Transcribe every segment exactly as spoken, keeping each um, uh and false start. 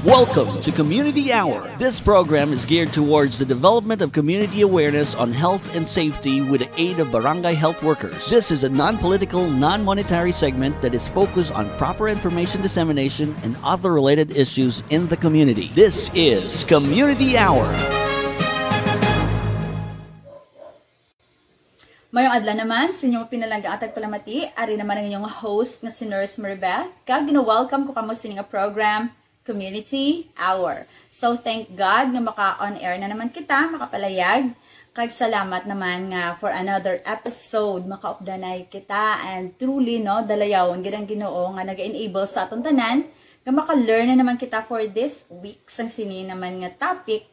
Welcome to Community Hour. This program is geared towards the development of community awareness on health and safety with the aid of barangay health workers. This is a non-political, non-monetary segment that is focused on proper information dissemination and other related issues in the community. This is Community Hour. Mayong adlaw naman sa inyong pinalangga at tagpalamati. Ari naman ang inyong host nga si Nurse Maribeth, kag gina-welcome ko kamo sini nga program, Community Hour. So thank God nga maka-on air na naman kita, makapalayag. Kag salamat naman nga for another episode makaupdanay kita, and truly, no, dalayawon gid ang Ginoo nga naga-enable sa aton tanan nga maka-learn na naman kita for this week sang sini naman nga topic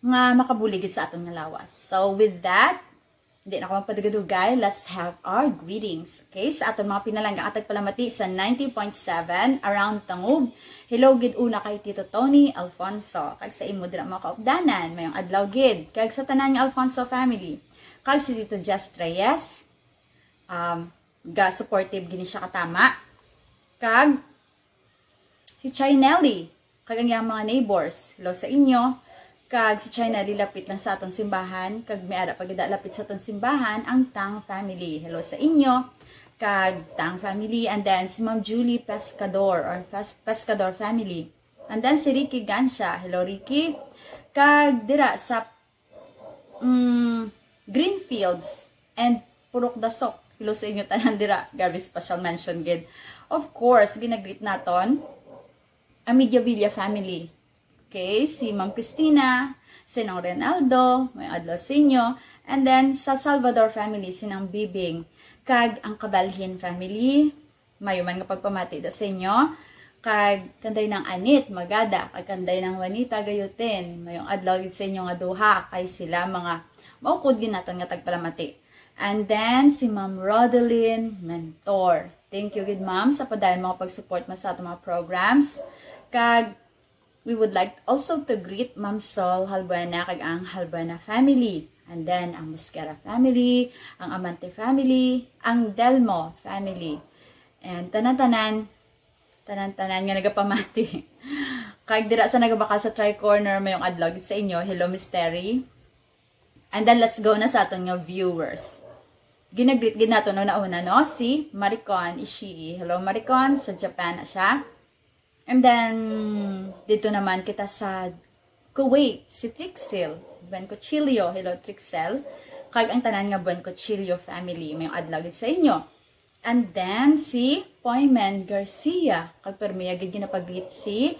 nga makabulig gid sa aton nga lawas. So with that, di na ko magpadugay-dugay, let's have our greetings. Okay, sa aton mga pinalangga at tagpalamati sa ninety point seven around Tangub. Hello gid una kay Tito Tony Alfonso, kag sa imo dira mga kaupdanan, mayong adlaw gid, kag sa tanan nga Alfonso family, kag si Tito Jess Reyes, um, ga supportive gini siya katama, kag si Chinelli, kag ang iyang mga neighbors. Hello sa inyo. Kag si Chinelli lapit lang sa aton simbahan, kag may ara pa gid lapit sa aton simbahan ang Tang family. Hello sa inyo. Kag Tang family, and then si Ma'am Julie Pescador or Pes- Pescador family. And then si Ricky Gancia. Hello Ricky. Kag dira sa mm, Greenfields and Purok Dasok. Hello sa inyo tanan dira. Grabe, special mention gid. Of course, ginagreet naton ang Mediavilla family. Okay, si Ma'am Christina, si Nong Renaldo, mayong adlaw sa inyo. And then sa Salvador family, si Nang Bibing, kag ang Kabalhin family. Mayo man nga pagpamati da sa inyo. Kag kanday Nang Anit Magada, kag kanday Nang Juanita Gayutin, mayong adlaw gid sa inyo nga duha, kay sila mga maukod gid naton nga tagpalamati. And then si Ma'am Rodeline Mentor. Thank you gid, ma'am, sa padayon mga pag-support mo sa aton mga programs. Kag we would like also to greet Ma'am Sol Halbuena kag ang Halbuena family. And then ang Mosquera family, ang Amante family, ang Delmo family. And tanan-tanan, tanan-tanan nga nagapamati. Kag dira sa nagabakal sa Tri Corner, mayong adlaw gid sa inyo. Hello, Miss Terry. And then let's go na sa aton nga viewers. Ginagreet gid nato no nauna, no, si Maricon Ishii. Hello Maricon, sa Japan na siya. And then dito naman kita sa Kuwait, si Trixel Buencochillo. Hello Trixel. Kag ang tanan nga Buencochillo family, mayong adlaw gid sa inyo. And then si Poymen Garcia, kag permi gid ginapagreet si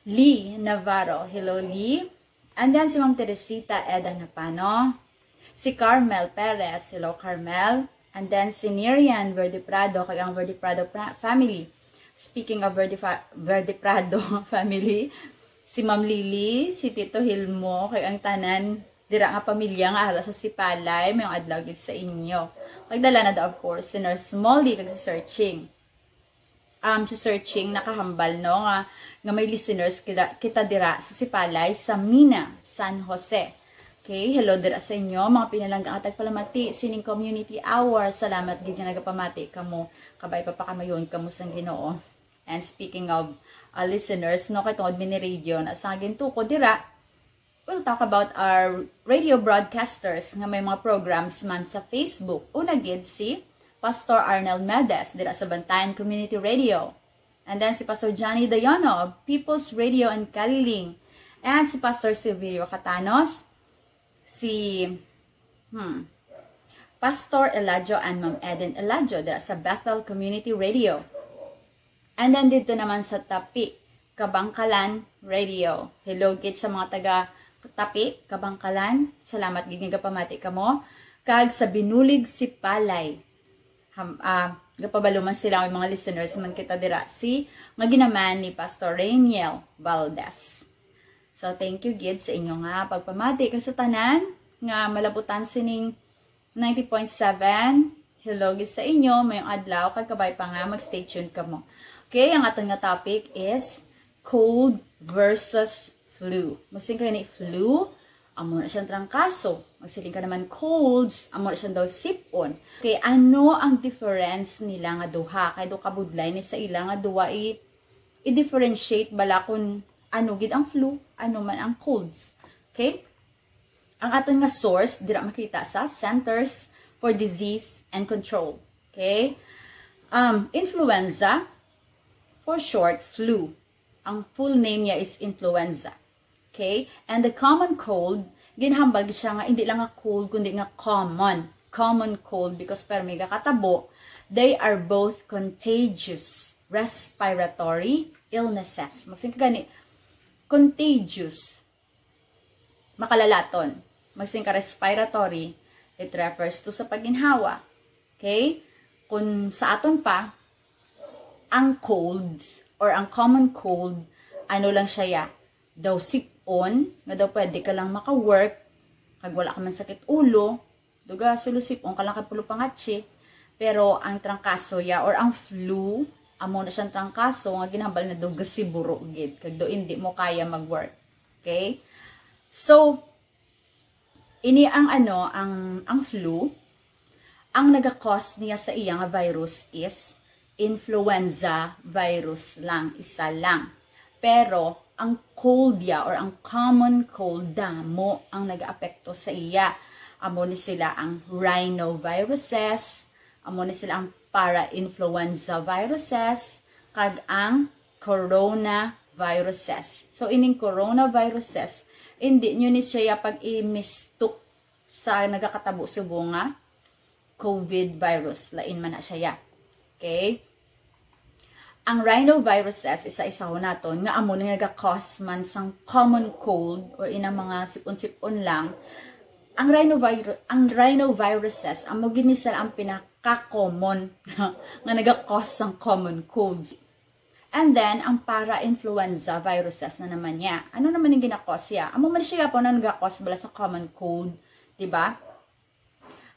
Lee Navarro. Hello Lee. And then si Ma'am Teresita Eda Napano, si Carmel Perez. Hello Carmel. And then si Nirian Verde Prado kag ang Verde Prado pra- family. Speaking of Verde, fa- Verde Prado family, si Ma'am Lily, si Tito Hilmo, kag ang tanan dira nga pamilya nga ara sa Sipalay, mayong adlaw gid sa inyo. Kag dala na da, of course, si Nurse Molly kag si Searching. Um, si Searching nakahambal, no, nga, nga may listeners kita, kita dira sa Sipalay, sa Mina, San Jose. Okay, hello dira sa inyo, mga pinalangga nga tagpalamati sining community hour. Salamat gid nga nagapamati kamo, kabay pa pakamayon kamo sang Ginoo. And speaking of uh, listeners, no, kay tungod mini radio na sa gintuko dira, we'll talk about our radio broadcasters nga may mga programs man sa Facebook. Una gid si Pastor Arnel Medes dira sa Bantayan Community Radio. And then si Pastor Johnny Dayono of People's Radio and Kaliling. And si Pastor Silverio Catanos, si hmm, Pastor Eladio and Ma'am Eden Eladio dira sa Bethel Community Radio. And then dito naman sa Tapi, Kabangkalan Radio. Hello gid sa mga taga Tapi, Kabangkalan. Salamat gid nga gapamati kamo. Kag sa Binulig, Sipalay. Ham, ah, gapabalo man sila ang mga listeners man kita dira si nga ginaman ni Pastor Rainiel Valdez. So thank you gid sa inyo nga pagpamati kag sa tanan nga malabutan sining ninety point seven. Hello gid sa inyo, mayong adlaw kag kabay pa nga mag-stay tuned kamo. Okay, ang aton nga topic is cold versus flu. Magsiling kayo ni flu, amo na siyang trangkaso. Magsiling ka naman colds, amo na siyang daw sipon. Okay, ano ang difference nila nga duha? Kay do kabudlay ni sa ila nga duha i I-differentiate bala kung ano gid ang flu, ano man ang colds. Okay? Ang aton nga source dira makita sa Centers for Disease and Control. Okay? Um, influenza, for short, flu. Ang full name niya is influenza. Okay? And the common cold, ginhambal gid siya nga hindi lang nga cold, kundi nga common. Common cold because permi gakatabo, they are both contagious respiratory illnesses. Magsin ka gani, contagious, makalalaton. Magsin ka respiratory, it refers to sa pagginhawa. Okay? Kung sa aton pa, ang colds or ang common cold, ano lang siya ya, daw sipon, nga daw pwede ka lang maka-work, kag wala ka man sakit ulo, duga sulusipon ka lang kay pulo pangatsi, pero ang trangkaso ya or ang flu, amo na siyang trangkaso nga ginhambal na daw gasiburo gid, kag daw hindi mo kaya mag-work. Okay? So, ini ang ano, ang, ang flu, ang naga-cause niya sa iya nga virus is influenza virus lang, isa lang. Pero ang cold ya or ang common cold, damo ang nagaapekto sa iya. Amo ni sila ang rhinoviruses, amo ni sila ang parainfluenza viruses, kag ang coronaviruses. So, ining coronaviruses, hindi nyo ni siya pag-imistok sa nagakatabo subong nga COVID virus. Lain man na siya ya. Okay? Ang rhinoviruses, isa-isahon naton, nga amo ni nga nagakos man sang common cold or inang mga sipon-sipon lang. Ang rhinovir-, ang rhinoviruses, amo gid ni sila ang pinaka-common nga nagakos sang common colds. And then, ang para-influenza viruses na naman niya. Ano naman yung ginakos siya? Amo man siya po na nagakos bala sa common cold, di ba?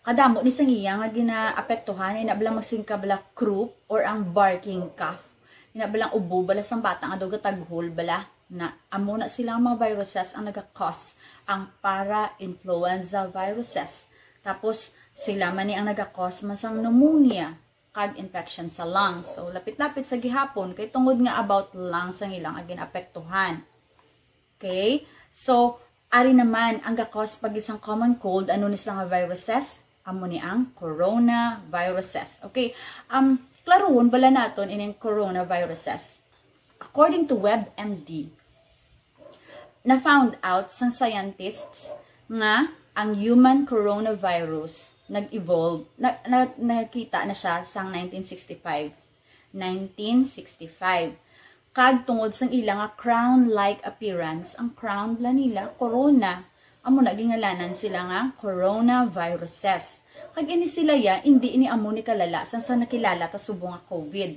Kadamo ni sang iya nga ginaapektuhan, ina bala magsingka bala croup or ang barking cough. Ina bala ubo bala sang bata nga daw gataghol bala na amo na sila ang mga viruses ang nagakos ang para-influenza viruses. Tapos, sila man ni ang nagakos man sang pneumonia kag infection sa lungs. So, lapit-lapit sa gihapon, kay tungod nga about lungs ang ilang ginaapektuhan. Okay? So, ari naman, ang gakos pa gid sang common cold, ano ni sila nga viruses? Amo ni ang coronaviruses. Okay? Um, klaruhon bala naton ining coronaviruses. According to WebMD, na-found out sang scientists nga ang human coronavirus nag-evolve, na, na, nakita na siya sang nineteen sixty-five. Nineteen sixty-five. Kag tungod sang ila nga crown-like appearance, ang crown bala nila, corona, amo na gingalanan sila nga coronaviruses. Kag ini sila ya, hindi ini amo ni kalala sang sa nakilala ta subong nga COVID.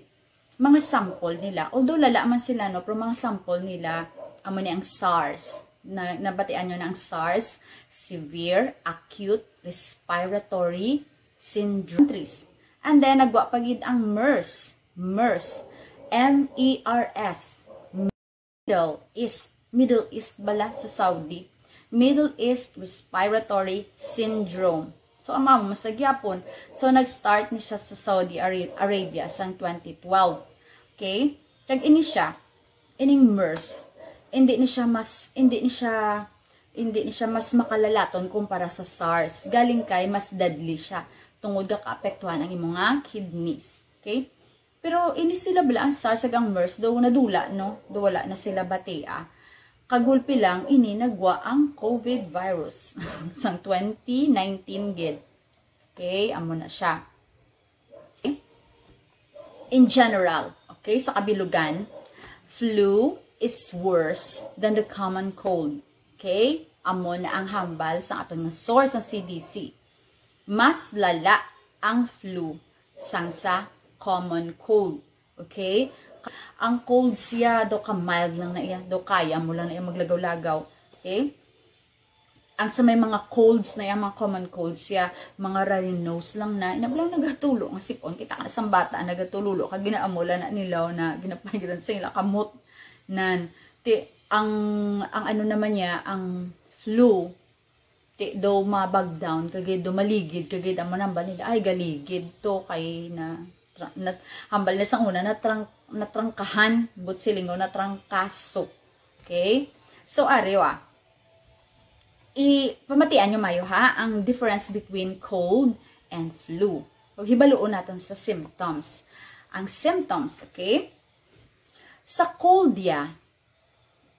Mga sample nila, although lala man sila, no, pero mga sample nila, amo ni ang SARS. Na, nabatian nyo na ang SARS, severe acute respiratory syndrome. And then, nagwa pa gid ang MERS. MERS. M E R S. Middle East. Middle East bala sa Saudi. Middle East Respiratory Syndrome. So, amo, mas nagyapon. So, nag-start ni siya sa Saudi Ara-, Arabia sang twenty twelve. Okay? Kag ini siya, ining MERS, hindi ni siya mas, hindi ni siya, hindi ni siya mas makalalaton kumpara sa SARS. Galing kay mas deadly siya tungod ga kaapektuhan ang imong nga kidneys. Okay? Pero ini sila bala ang SARS kag ang MERS daw nadula, no? Daw wala na sila batia. Kagulpi lang, ini nagwa ang COVID virus sang twenty nineteen gid. Okay, amo na siya. Okay? In general, okay, sa kabilugan, flu is worse than the common cold. Okay? Amo na ang hambal sa aton nga source, ang C D C. Mas lala ang flu sang sa common cold. Okay? Ang cold siya, daw ka mild lang na iya, daw kaya mo lang na iya maglagaw-lagaw. Okay? Ang sa may mga colds na iya, mga common colds siya, mga runny nose lang na, ina lang nagatulo nga sipon. Kita ka na sang bata, nagatulo, kag ginaamula na nilaw na, ginapagiran sa ila kamot. Nan, ti, ang, ang ano naman niya, ang flu, ti, do mabag down, kagid do maligid, kagid ang manambal nila, ay, galigid to, kay na, tra-, na, hambal na sang una, na trunk, Natrangkahan, but silingon, natrangkaso. Okay? So, ari, ah. I, pamatian nyo mayo, ha, ang difference between cold and flu. Paghibaluon naton sa symptoms. Ang symptoms, okay? Sa cold ya,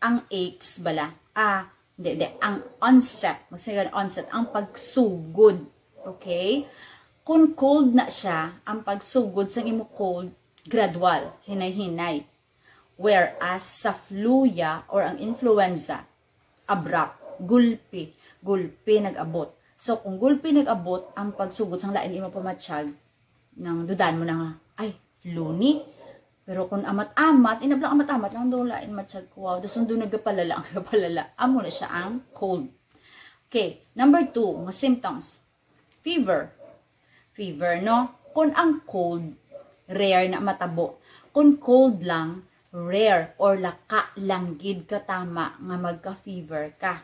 ang aches bala. Ah, hindi, hindi. Ang onset, magsigan onset, ang pagsugod. Okay? Kung cold na siya, ang pagsugod sang imo cold, gradual, hinay-hinay. Whereas sa flu ya or ang influenza, abrupt, gulpi, gulpi nag-abot. So, kung gulpi nag-abot, ang pagsugod sang lain imo pamatsyag, nang dudan mo na nga, "Ay, flu ni." Pero kung amat-amat, inablang amat-amat lang daw lain matsyag ko, wow, daw sundo nagapalala, ang gapalala. Amo na siya ang cold. Okay, number two, nga symptoms. Fever. Fever, no? Kung ang cold, rare na matabo. Kung cold lang, rare or laka lang gid katama nga magka-fever ka.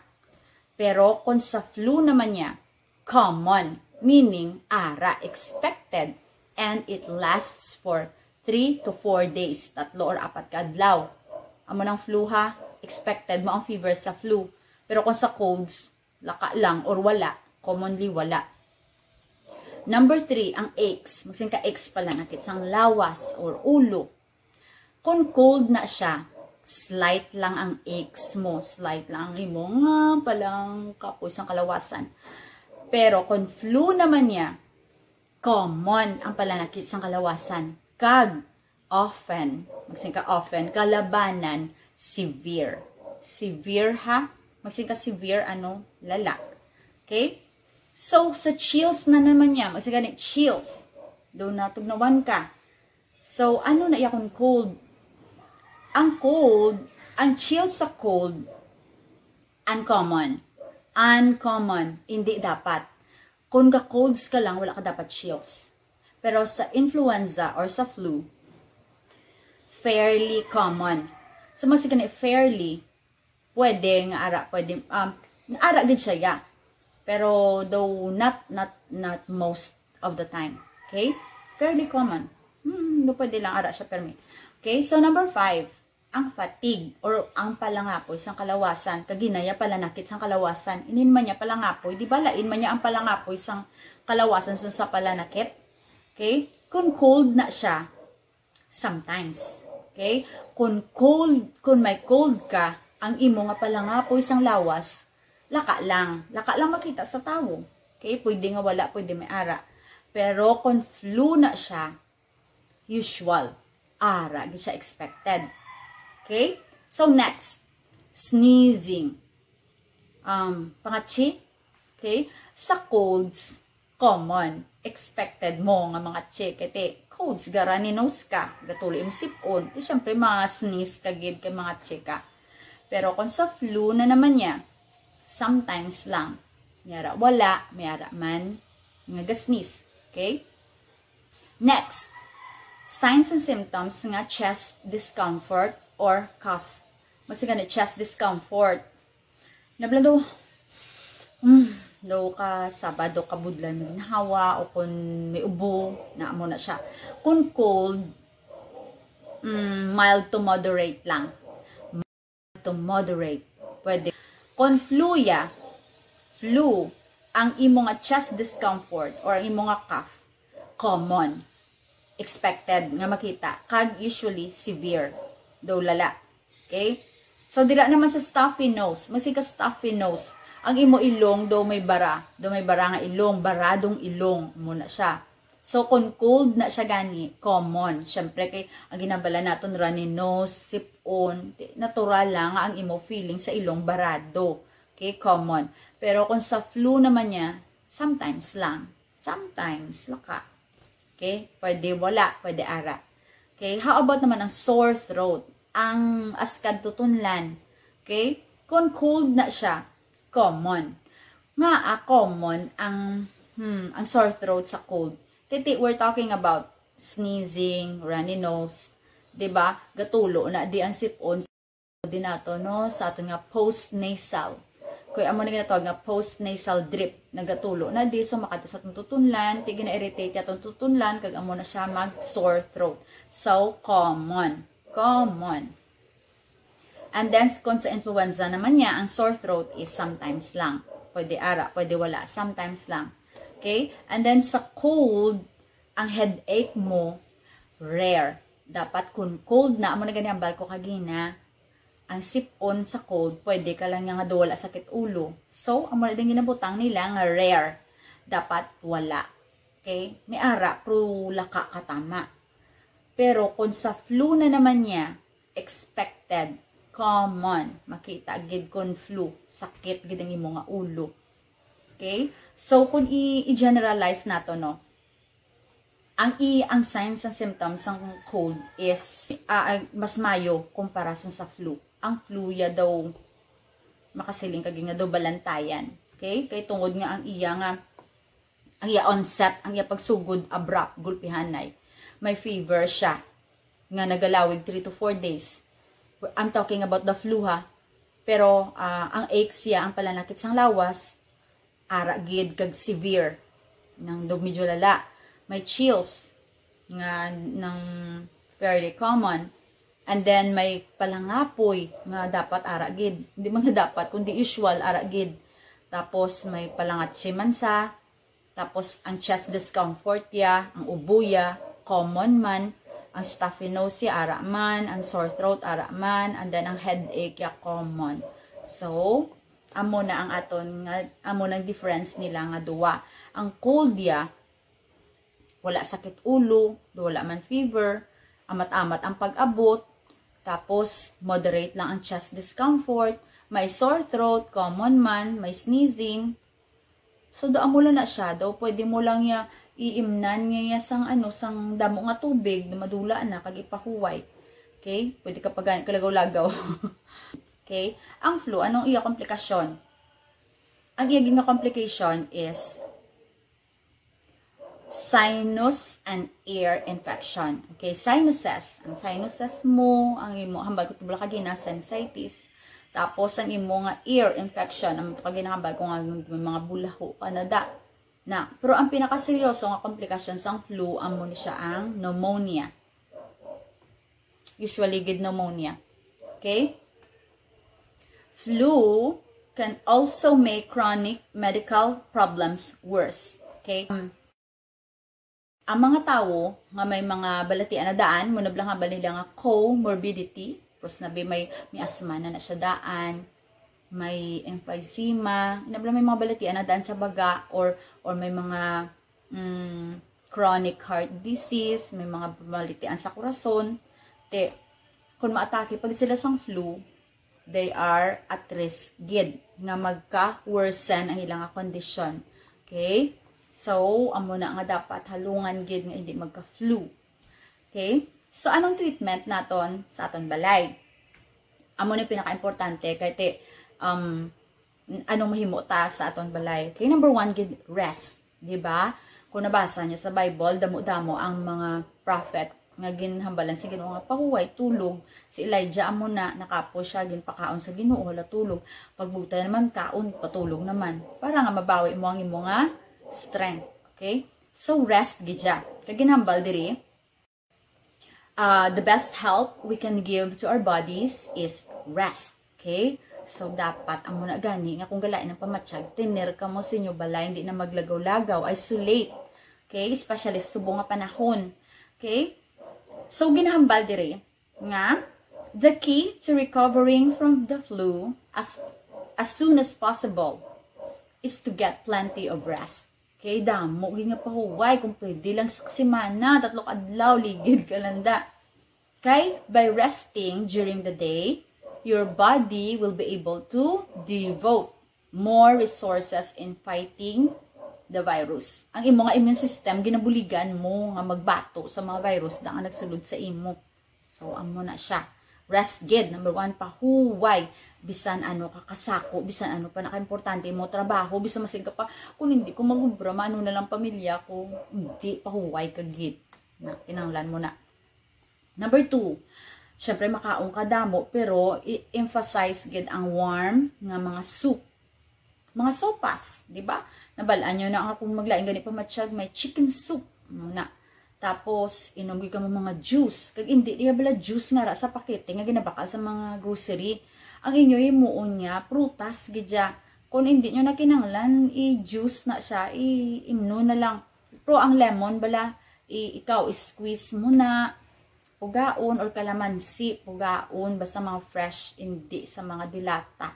Pero kung sa flu naman niya, common, meaning ara, expected, and it lasts for three to four days, tatlo or apat ka adlaw. Amo nang flu, ha, expected mo ang fever sa flu. Pero kung sa colds, laka lang or wala, commonly wala. Number three, ang aches. Magsin ka aches pala, nakit sang lawas or ulo. Kung cold na siya, slight lang ang aches mo, slight lang ang imo nga palang kapoy sang kalawasan. Pero kung flu naman niya, common ang palanakit sang kalawasan. Kag often, magsin ka often, kalabanan, severe. Severe, ha? Magsin ka severe, ano, lala. Okay? So, sa chills na naman niya, magsin ka ni chills. Daw natugnawan ka. So, ano na iya kung cold? Ang cold, ang chills sa cold, uncommon. Uncommon. Hindi dapat. Kung ga-colds ka lang, wala ka dapat chills. Pero sa influenza or sa flu, fairly common. So, mas gani fairly, pwede nga ara, pwede, um, nga ara gid siya, yeah. Pero though not, not, not most of the time. Okay? Fairly common. Hmm, no, pwede lang ara siya permi. Okay, so number five, ang fatigue or ang palangapoy sang kalawasan. Kag ina ya palanakit sang kalawasan. Inin man niya palangapoy, di ba lain man niya ang palangapoy sang kalawasan sa, sa palanakit? Okay? Kung cold na siya, sometimes. Okay? Kung cold, kung may cold ka, ang imo nga palangapoy sang lawas, laka lang. Laka lang makita sa tawo. Okay? Pwede nga wala, pwede may ara. Pero kung flu na siya, usual. Ara, di siya expected. Okay? So, next, sneezing. Um, pangatsi. Okay? Sa colds, common. Expected mo nga mangatsi. Kay ti, colds, ga runny nose ka, gatulo imong sipon. Ti, syempre, mga sneeze ka gid kay mangatsi ka. Pero kung sa flu na naman niya, sometimes lang. May ara wala, may ara man nga ga-sneeze. Okay? Next, signs and symptoms nga chest discomfort or cough. Magsin ka ni chest discomfort. Nabla daw, mm, daw ka saba, daw ka budlay, may ginhawa, o kung may ubo, na mo na siya. Kung cold, mm, mild to moderate lang. To moderate. Pwede. Kung flu ya, flu, ang imo nga chest discomfort or ang imo nga cough, common, expected nga makita, kag usually severe, daw lala. Okay? So, dira naman sa stuffy nose, magsin ka stuffy nose, ang imo ilong daw may bara, daw may bara nga ilong, baradong ilong, mo na siya. So, kung cold na siya gani, common. Siyempre, kay ang ginabala naton runny nose, sipon, di, natural lang nga ang imo feeling sa ilong barado. Okay, common. Pero kung sa flu naman niya, sometimes lang. Sometimes, laka. Okay? Pwede wala, pwede ara. Okay? How about naman ang sore throat? Ang askad tutunlan. Okay? Kung cold na siya, common. Nga, ah, common ang, hmm, ang sore throat sa cold. Kay ti, we're talking about sneezing, runny nose, 'di ba? Gatulo na di ang sipon sa di nato, no? Sa aton nga postnasal. Kay amo na ginatawag nga postnasal drip. Nagatulo na di, so makadto sa atong tutunlan, ti gina-irritate atong tutunlan, kag amo na siya mag sore throat. So, common. Common. And then, kung sa influenza naman niya, ang sore throat is sometimes lang. Pwede ara, pwede wala, sometimes lang. Okay? And then, sa cold, ang headache mo, rare. Dapat kung cold na, amo na gani ang hambal ko kagina, ang sip-on sa cold, pwede ka lang niya nga daw wala sakit ulo. So, amo na din ginabutang nila nga rare. Dapat wala. Okay? May ara, pero laka ka tama. Pero kung sa flu na naman niya, expected, common, makita gid kung flu, sakit gid ang imo nga ulo. Okay? So, kung i- i-generalize nato, no, ang i ang signs and symptoms sang cold is, ah, ah, mas mayo kumpara sa, sa flu. Ang flu ya daw makasiling ka gid nga daw balantayan. Okay? Kay tungod nga ang iya nga, ang iya onset, ang iya pagsugod abrupt, gulpihanay. May fever siya nga nagalawig three to four days. I'm talking about the flu, ha. Pero, ah, ang aches siya, ang pananakit sang lawas, ara gid kag severe, nang daw medyo lala. May chills nga nang fairly common. And then may palangapoy nga dapat ara gid. Hindi man nga dapat, kundi usual, ara gid. Tapos may palangatsi man sa. Tapos ang chest discomfort ya, ang ubo ya, common man. Ang stuffy nose ya, ara man. Ang sore throat, ara man. And then ang headache ya, common. So, amo na ang aton nga, amo nang difference nila nga duwa. Ang cold ya, wala sakit ulo, wala man fever, amat-amat ang pag-abot, tapos moderate lang ang chest discomfort, may sore throat, common man, may sneezing. So, do amo lang na siya, daw pwede mo lang ya iimnan niya sang ano, sang damo nga tubig, madula na, kag ipahuway. Okay? Pwede ka pa gani kalagaw-lagaw. Okay? Ang flu, anong iya komplikasyon? Ang iya gid nga complication is sinus and ear infection. Okay, sinuses. Ang sinuses mo, ang imo, hambal ko tubla kagina, sinusitis. Tapos ang imo nga ear infection, ang kagina hambal ko nga may mga bulaho ka na da. Na, pero ang pinakaseryoso nga komplikasyon sang flu, amo ni siya ang pneumonia. Usually gid pneumonia. Okay? Flu can also make chronic medical problems worse. Okay? Um, ang mga tawo nga may mga balatian na daan, mo nablang nga balila nga comorbidity, pros na bi may, may asma na na siya daan, may emphysema, nablang may mga balatian na daan sa baga, or, or may mga, mm, chronic heart disease, may mga balatian sa kurason, te, kung maatake pag sila sang flu, they are at risk gid nga magka-worsen ang ilang nga kondisyon. Okay? So, amo na nga dapat halungan gid nga hindi magka-flu. Okay? So, anong treatment naton sa aton balay? Amo ni pinaka-importante kay ti, um, anong mahimo ta sa aton balay. Okay, number one gid, rest, di ba? Kung nabasa niyo sa Bible, damo-damo ang mga prophet nga ginhambalan sa Ginoo nga pahuway, tulog. Si Elijah amo na, nakapoy siya, ginpakaon sa Ginoo, hala, tulog. Pagbutay naman, kaon, patulog naman. Para nga mabawi mo ang imo nga strength. Okay? So, rest gid siya. Kay ginhambal diri, uh, the best help we can give to our bodies is rest. Okay? So, dapat amo na gani nga kung galain ang pamatyag, tener kamo sa inyo balay, hindi na maglagaw-lagaw, isolate. Okay? Especially sa subong nga panahon. Okay? So, ginahambal diri nga the key to recovering from the flu as as soon as possible is to get plenty of rest. Okay, damo gid nga pahuway, kung pwede lang sa semana, tatlo ka adlaw, ligid ka lang da. Kay by resting during the day, your body will be able to devote more resources in fighting the virus. Ang imo nga immune system, ginabuligan mo nga magbato sa mga virus na nga nagsulod sa imo. So, amo na siya. Rest gid, number one, pahuway. Bisan ano ka kasako, bisan ano pa nakaimportante mo trabaho, bisan masig ka pa, "Kung hindi ko magubra, maano na lang pamilya ko?" Hindi, pahuway ka gid. Na, kinahanglan mo na. Number two, syempre, makaon ka damo, pero i-emphasize gid ang warm nga mga soup. mga sopas, di ba? Nabal-an nyo na nga kung maglain gani pamatyag, may chicken soup muna. Tapos, inom gyud kamo mga juice. Kag indi diya bala juice nga ra sa pakete nga ginabakal sa mga grocery. Ang inyo himuon niya, prutas gid siya. Kung hindi nyo na kinahanglan, i-juice na siya, i-imnon na lang. Pero ang lemon bala, i-, ikaw, i-squeeze mo na, pugaon, or kalamansi, pugaon, basta mga fresh, hindi sa mga dilata.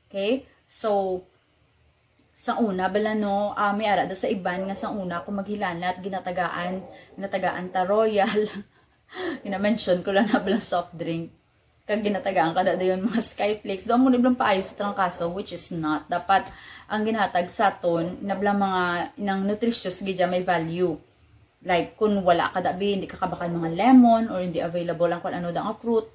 Okay? So, sang una bala, no, ah, may ara daw sa iban nga sang una kung maghilanat, ginatagaan, ginatagaan ta Royal. Gina-mention ko lang na bala soft drink. Kag ginatagaan ka da dayon mga Skyflakes. Daw mo na blang paayo sa trangkaso, which is not. Dapat ang ginhatag sa aton, na blang mga inang nutritious gid dyan, may value. Like, kung wala ka da, bi, hindi ka kabakal mga lemon, or hindi available ang kung ano da nga fruit.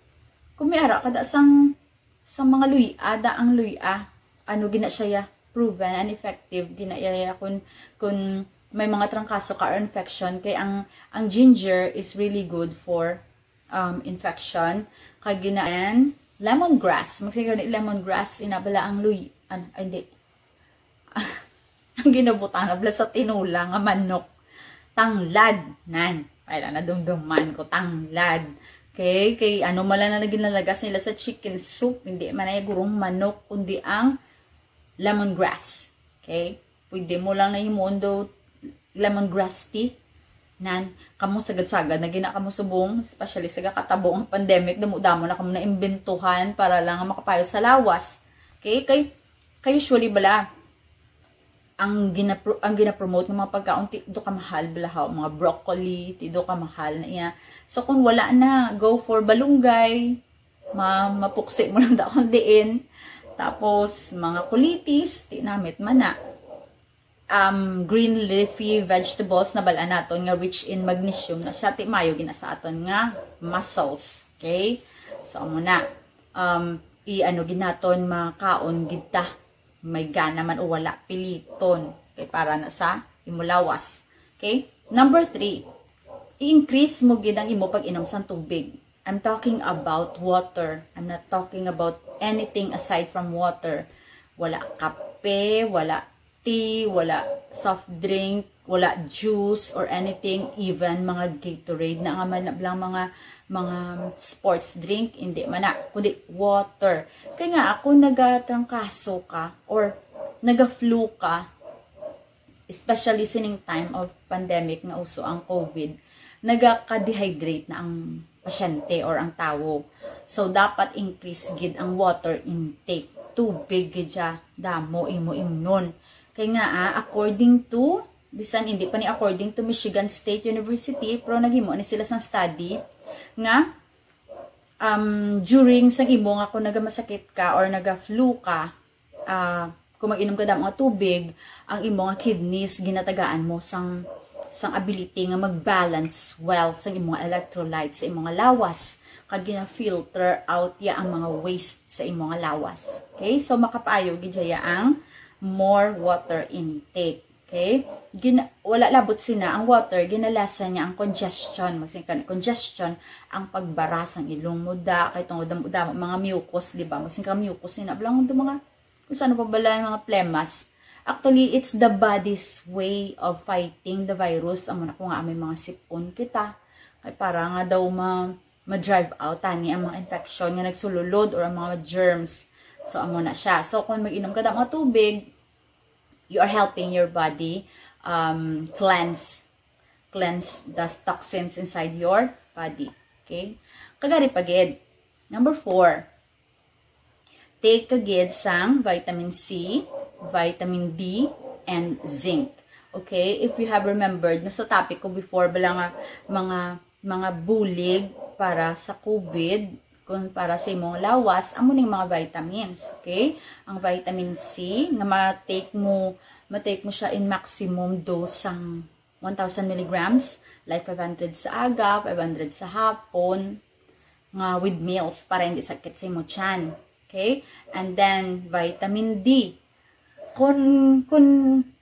Kung may ara ka da sang, sang mga luya, da ang luya, ano gina siya ya, proven and effective, gina ya, ya, kung, kung may mga trangkaso ka or infection, kay ang, ang ginger is really good for, um, infection. Kag gina, and lemongrass, magsigaw ni lemongrass, ina bala ang luy, an, ay, hindi. Ang ginabutang na bala sa tinula nga manok. Tanglad. Nan. Ay, na, nadumduman ko. Tanglad. Okay? Kay ano man lang na ginalagas nila sa chicken soup, hindi man ay gurong manok, kundi ang lemongrass. Okay? Pwede mo lang na himuon do lemongrass tea. Nan, kamo sagad-sagad na gina kamo subong, especially sa gakatabo ang pandemic, damo-damo na kamo na imbentuhan para lang makapayo sa lawas. Okay? Kay, kay usually bala, ang ginapro-, ang ginapromote ng mga pagkaon, ti do kamahal bala, haw, mga broccoli, ti do kamahal na iya. So, kung wala na, go for balunggay, ma-, mapuksi mo lang da kung diin. Tapos, mga kulitis, ti namit man na. Um, green leafy vegetables na bala naton nga rich in magnesium na siya, ti mayo gina sa aton nga muscles. Okay? So, amo na. Um, i-ano gid naton, makaon gid ta. May gana man o wala, piliton. Okay, para na sa imo lawas. Okay? Number three, i-increase mo gid ang imo pag-inom sang tubig. I'm talking about water. I'm not talking about anything aside from water. Wala kape, wala tea, wala soft drink, wala juice or anything, even mga Gatorade na nga man lang mga, mga sports drink, hindi man na, kundi water. Kaya nga, ako nagatrangkaso ka or naga-flu ka, especially sining time of pandemic nga uso ang COVID, nagaka-dehydrate na ang pasyente or ang tawo. So, dapat increase gid ang water intake. Tubig gid siya, damo imo imnon. Kay nga, ah, according to, bisan hindi pa ni according to Michigan State University, pero naghimo ni sila sang study nga, um, during sang imo nga kung nagamasakit ka or naga-flu ka, ah, kung mag-inom ka damo nga tubig, ang imo nga kidneys ginatagaan mo sang, sang ability nga mag-balance well sang imo nga electrolytes sa imo nga lawas, kag gina-filter out ya ang mga waste sa imo nga lawas. Okay? So, makapaayo gid siya ang more water intake. Okay? Gina-, wala labot sina ang water, ginalasan niya ang congestion. Magsin-, kan-, congestion, ang pagbara sang ilong mo da, kay tungod damo, damo, mga mucus, di ba? Magsin ka mucus, sina, bala nga mga, kung ano pa bala, mga plemas. Actually, it's the body's way of fighting the virus. Amo na ko nga, may mga sipon kita. Kay para nga daw ma-, ma-drive out tani ang mga infection nga nagsululod or ang mga germs. So, amo na siya. So, kung mag-inom ka da mga tubig, you are helping your body, um, cleanse, cleanse the toxins inside your body. Okay? Kagari pa gid. Number four, take ka gid sang vitamin C, vitamin D, and zinc. Okay? If you have remembered, nasa topic ko before, bala nga mga, mga bulig para sa COVID, kung para sa imong lawas, amo ning mga vitamins. Okay? Ang vitamin C, nga ma-take mo, ma-take mo siya in maximum dose sang one thousand milligrams, like five hundred sa aga, five hundred sa hapon, nga with meals para hindi sakit sa imo tiyan. Okay? And then, vitamin D. Kung, kung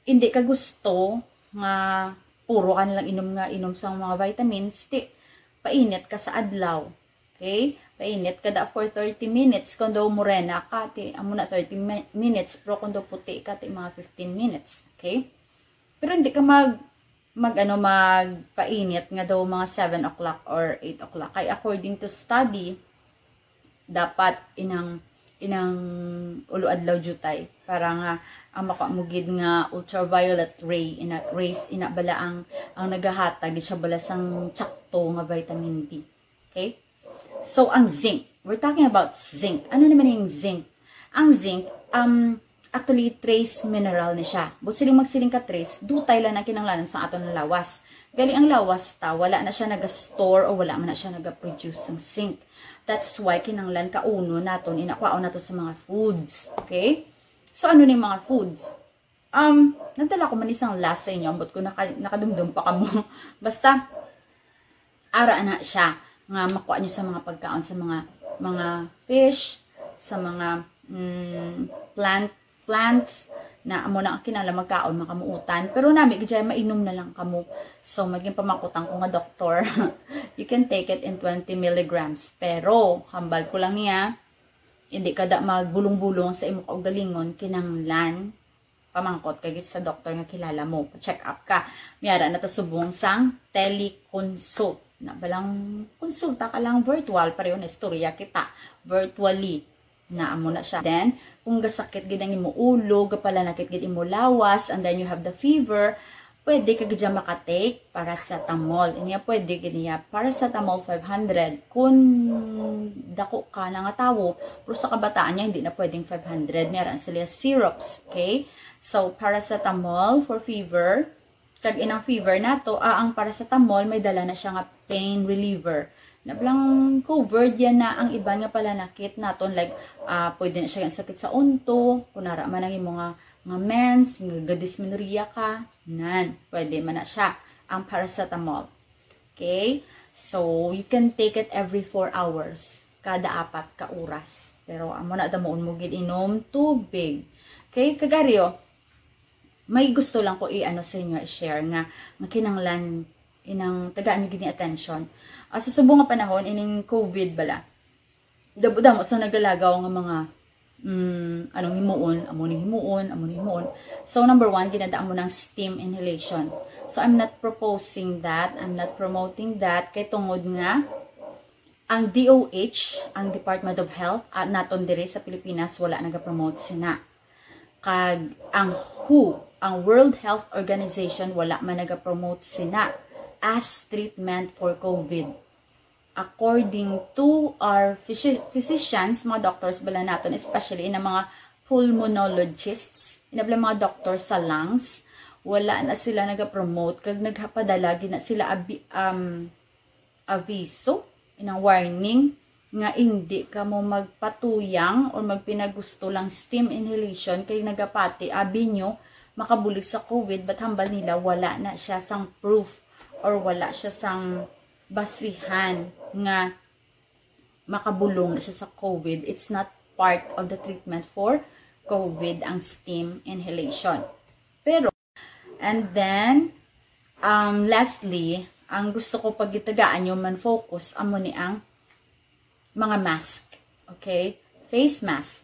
hindi ka gusto nga puro ka na lang inom nga inom sa mga vitamins, ti painit ka sa adlaw. Okay? Painit ka da for thirty minutes kung daw morena ka, ti amo na thirty mi- minutes, pero kung daw puti ka, ti mga fifteen minutes. Okay? Pero hindi ka mag mag ano magpainit nga daw mga seven o'clock or eight o'clock. Kay according to study, dapat inang inang ulo adlaw jutay para nga ang makuha mo gid nga ultraviolet ray, ina rays, ina bala ang ang nagahatag gid siya bala sang tsakto nga vitamin D. Okay? So, ang zinc. We're talking about zinc. Ano naman yung zinc? Ang zinc, um, actually, trace mineral ni siya. But siling magsiling ka trace, dutay lang ang kinahanglanon sa aton lawas. Gali ang lawas ta, wala na siya naga-store o wala man na siya naga-produce ng zinc. That's why kinahanglan kaunon naton, inakwaon nato sa mga foods. Okay? So, ano ni mga foods? Um, nagdala ko man isang last sa inyo, ambot ko naka, nakadumdum pa kamo. Basta, ara na siya nga makuha nyo sa mga pagkaon, sa mga mga fish, sa mga mm, plant plants na amo na ang kinala magkaon makamuutan. Pero nami gid siya, mainom na lang kamo. So, maging pamakutan ko nga doktor, you can take it in twenty milligrams. Pero, hambal ko lang niya, hindi ka da magbulong-bulong sa imo kaugalingon, kinanglan pamangkot ka gid sa doktor nga kilala mo, pa-check up ka. Miara na ta subong sang teleconsult. Na balang konsulta ka lang virtual, pareho na istorya kita virtually. Na amo na siya. Then, kung gasakit gid ang imo ulo, gapalanakit gid imo lawas, and then you have the fever, pwede ka gid siya makatake paracetamol. Inya pwede gid niya paracetamol five hundred. Kung dako ka na nga tawo, pero sa kabataan niya, hindi na pwedeng five hundred. Meron sila syrups, okay? So, paracetamol for fever. Kag inang fever nato, ah, ang paracetamol may dala na siya nga pain reliever. Nablang covered yan na ang iban nga palanakit naton, like, ah, pwede na siya yung sakit sa unto, kung nara man ang imo nga, nga mens, nga gadismenorrhea ka, nan, pwede man na siya ang paracetamol. Okay? So, you can take it every four hours, kada apat ka oras. Pero amo na damuon mo gid inom tubig. Okay, kagaryo, may gusto lang ko i-ano sa inyo, i-share nga, nga kinanglan inang tagaan niyo gid ni attention. Ah, sa subong nga panahon, ining COVID bala, damo-damo sa nagalagaw nga mga mm, anong himuon, amo ning himuon, amo ning himuon. So, number one, ginadaan mo ng steam inhalation. So, I'm not proposing that, I'm not promoting that, kay tungod nga ang D O H, ang Department of Health, at naton diri sa Pilipinas, wala nagapromote sina. Kag ang W H O, ang World Health Organization, wala man nagapromote sina as treatment for COVID. According to our physi- physicians, mga doctors bala naton, especially na mga pulmonologists, inabla mga doctors sa lungs, wala na sila nagapromote kag naghapadala gid na sila abi, um, aviso, inang warning nga hindi kamo magpatuyang or magpinagusto lang steam inhalation kay nagapati abi nyo makabulig sa COVID, but hambal nila wala na siya sang proof or wala siya sang basihan nga makabulong na siya sa COVID. It's not part of the treatment for COVID ang steam inhalation. Pero, and then, um, lastly, ang gusto ko pagitagaan nyo man focus, amo ni ang mga mask. Okay? Face mask.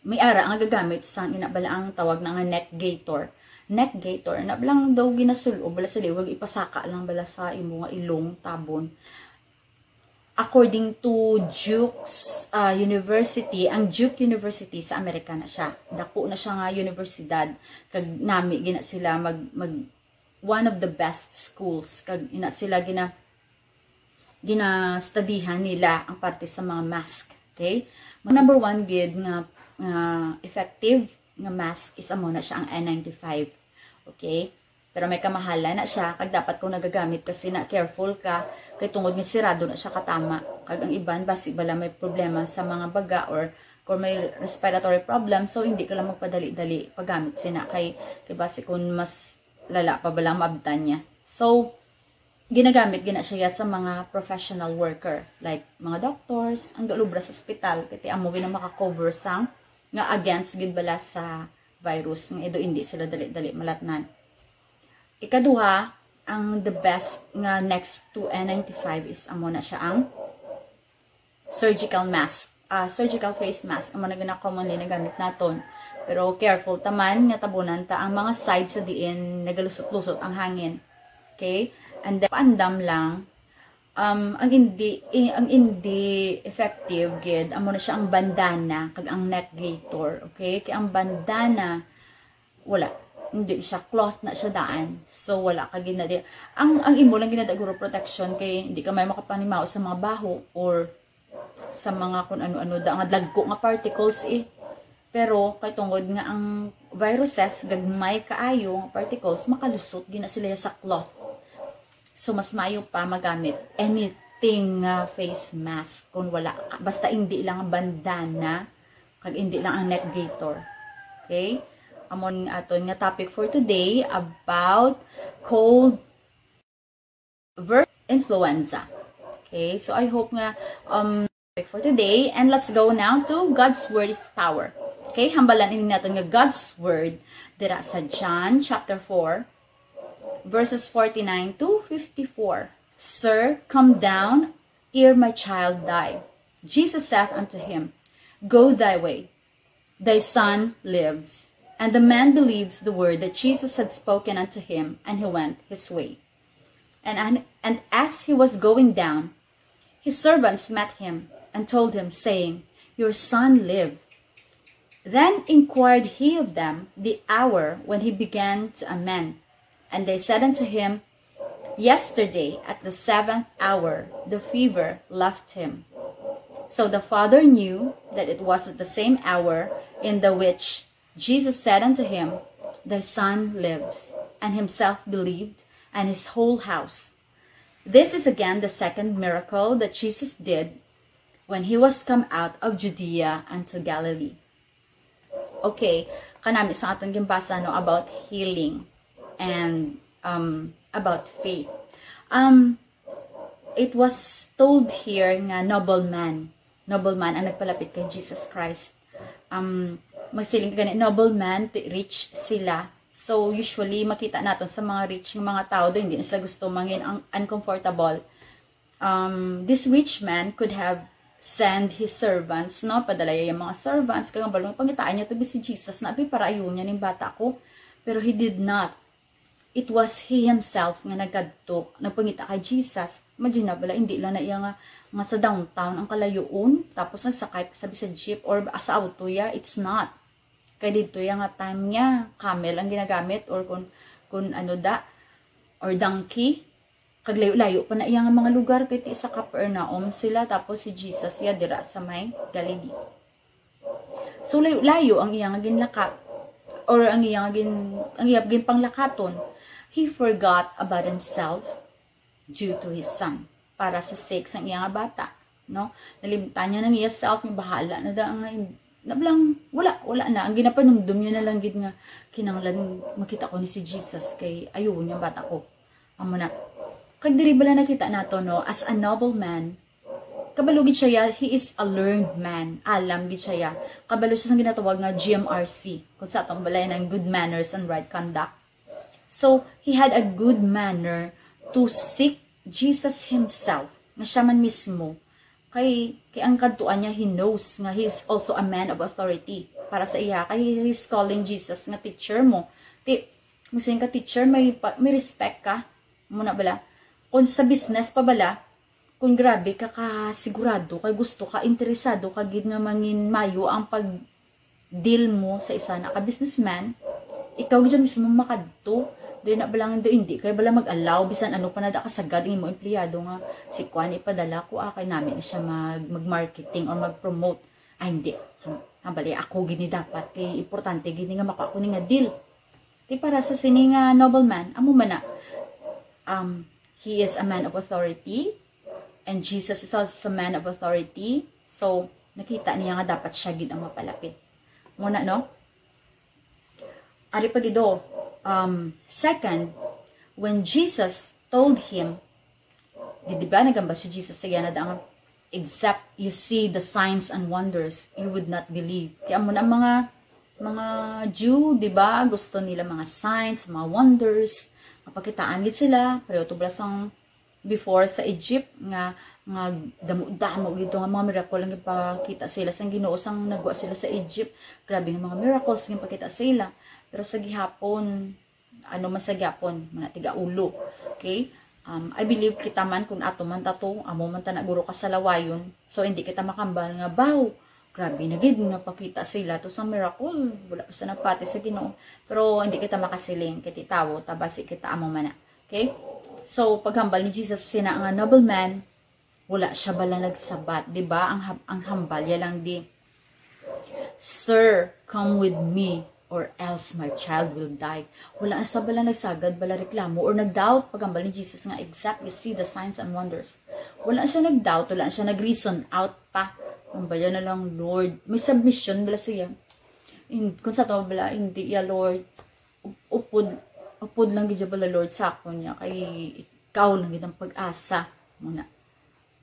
May ara nga gagamit sang ina bala ang tawag na nga neck gaiter. Neck gaiter, na bala daw ginasul-ob bala sa liog, ipasaka lang bala sa imo nga ilong, tabon. According to Duke's uh, University, ang Duke University sa Amerika na siya. Dako na siya nga universidad. Kag nami gina sila mag, mag one of the best schools. Kag ina sila gina ginastudihan nila ang parte sa mga mask. Okay? Ang number one gid nga, nga effective nga mask is amo na siya ang N ninety-five. Okay? Pero may kamahalan na siya, kag dapat kung nagagamit ka sina, careful ka, kay tungod nga sirado na siya katama. Kag ang iban, basi bala may problema sa mga baga or kung may respiratory problem, so hindi ka lang magpadali-dali paggamit sina kay, kay basi kung mas lala pa bala ang maabtan niya. So, ginagamit gina siya sa mga professional worker, like mga doctors, ang galubra sa ospital, kay amo gina maka-cover sang nga against gid bala sa virus nga ido hindi sila dali-dali malatnan. Ikaduha, ang the best nga next to N ninety-five is amo na siya ang surgical mask, ah, surgical face mask, amo na gina commonly nagamit naton. Pero careful ta man nga tabunan ta ang mga side sa diin nagalusot-lusot ang hangin. Okay? And then, paandam lang, um, ang hindi, i- ang hindi effective gid, amo na siya ang bandana kag ang neck gaiter, okay? Kay ang bandana, wala, hindi siya, cloth na siya daan. So, wala ka ginadi. Ang, ang imo lang ginada guro protection kay hindi ka may makapanimaw sa mga baho or sa mga kun ano-ano da nga dagko nga particles eh. Pero kay tungod nga ang viruses gagmay kaayo nga particles, makalusot gina sila sa cloth. So, mas maayo pa magamit anything nga face mask kung wala ka. Basta hindi lang ang bandana, kag hindi lang ang neck gaiter. Okay? Amon aton nga topic for today about cold versus influenza. Okay? So, I hope nga, um, topic for today. And let's go now to God's Word is Power. Okay? Hambalan ini naton nga God's Word dira sa John chapter four, verses forty-nine to fifty-four. "Sir, come down ere my child die." Jesus saith unto him, "Go thy way, thy son lives." And the man believes the word that Jesus had spoken unto him, and he went his way. And, an- and as he was going down, his servants met him, and told him, saying, "Your son live." Then inquired he of them the hour when he began to amend. And they said unto him, "Yesterday at the seventh hour the fever left him." So the father knew that it was at the same hour in the which Jesus said unto him, "Thy son lives." And himself believed, and his whole house. This is again the second miracle that Jesus did when he was come out of Judea unto Galilee. Okay, kanami sa aton ginbasa, no, about healing and, um, about faith. Um, it was told here nga nobleman, nobleman ang nagpalapit kay Jesus Christ. Um, magsiling ka gani, nobleman, ti- rich sila. So, usually, makita naton sa mga rich nga mga tao, do, hindi na sila gusto mangin ang uncomfortable. Um, this rich man could have send his servants, no? Padala niya yung mga servants, kaya nga balong pangitaan niya to si Jesus na, "Abi, para ayun niya ning bata ko." Pero he did not. It was he himself nga nagkadto, nagpangita kay Jesus. Imagine na bala, hindi lang na iya nga, nga sa downtown ang kalayoon, tapos nagsakay pa sabi sa jeep or sa auto ya, it's not. Kay dito ya nga time niya, camel ang ginagamit or kun, kun ano da, or donkey. Kag layo-layo pa na iya nga mga lugar, kay ti sa Capernaum sila, tapos si Jesus iya dira sa may Galilee. So, layo-layo ang iya nga ginlaka, or ang iya nga gin-, ang iya ginpanglakaton. He forgot about himself due to his son, para sa sake sang iya nga bata, no? Nalimtan niya nang iya self, may bahala na da nga hin-, nablang, wala, wala na. Ang ginapanumdum niya na lang gid nga, "Kinahanglan makita ko ni si Jesus kay ayuon niya bata ko." Amo na. Kag diri bala nakita nato, no, as a nobleman, kabalo gid siya ya, he is a learned man. Alam gid siya ya. Kabalo siya sa ginatawag nga G M R C. Kung sa atong balay ng good manners and right conduct. So, he had a good manner to seek Jesus himself, nga siya man mismo. Kay, kay ang kadtuan niya, he knows nga he is also a man of authority. Para sa iya, kay he is calling Jesus nga teacher mo. Ti, mo ka teacher, may, pa- may respect ka. Muna bala. Kung sa business pa bala, kung grabe ka kasigurado, kay gusto ka, interesado ka gid nga mangin mayo ang pag deal mo sa isa na ka businessman, ikaw gid mismo makadto. Di na bala nga, hindi kay bala mag-allow bisan ano pa na da kasagad ang imo empleyado nga, "Si Kwan, ipadala ko, ah, kay nami na siya mag, mag-marketing or mag-promote." Ay, hindi. Ham-, hambali, ako gid ni dapat, kay importante gid ni nga makuha ko ni nga deal. Ti para sa sini nga nobleman, amo man na. Um, he is a man of authority, and Jesus is also a man of authority. So, nakita niya nga dapat siya gid ang mapalapit. Muna, no? Ari pa gido, um, second, when Jesus told him, di, di ba, nagamba si Jesus sa yana da nga, "Except you see the signs and wonders, you would not believe." Kaya mo na mga, mga Jew, di ba, gusto nila mga signs, mga wonders, mapakitaan gid sila, pareho to bala sang before sa Egypt nga nga damo-damo gid to nga mga miracle ang ginpakita sa ila sang Ginoo sang nagwa sila sa Egypt. Grabe nga mga miracles ang ginpakita sa ila. Pero sa gihapon, ano man sa gihapon, mga tiga-ulo. Okay? Um, I believe kita man, kung ato man ta to, amo man ta na guro kasalawayon. So, hindi kita makambal nga, "Baw, grabe na gid nga pakita sila to sa miracle. Wala pa sa nagpati sa Ginoo." Pero hindi kita makasiling, kay ti tawo ta, basi kita amo man na. Okay? So, paghambal ni Jesus sina nga nobleman, wala siya bala nagsabat, di ba? Ang hab-, ang hambal ya lang di, "Sir, come with me, or else my child will die." Wala siya bala nagsagad, bala reklamo, or nag-doubt paghambal ni Jesus nga, "Exactly, see the signs and wonders." Wala siya nag-doubt, wala siya nag-reason out pa. Ang baya na lang, Lord. May submission bala siya. In, kung sa to bala, hindi ya, Lord. Up-, upod, upod lang gid ya bala, Lord, sa akon niya. Kay ikaw lang gid ang pag-asa. Muna.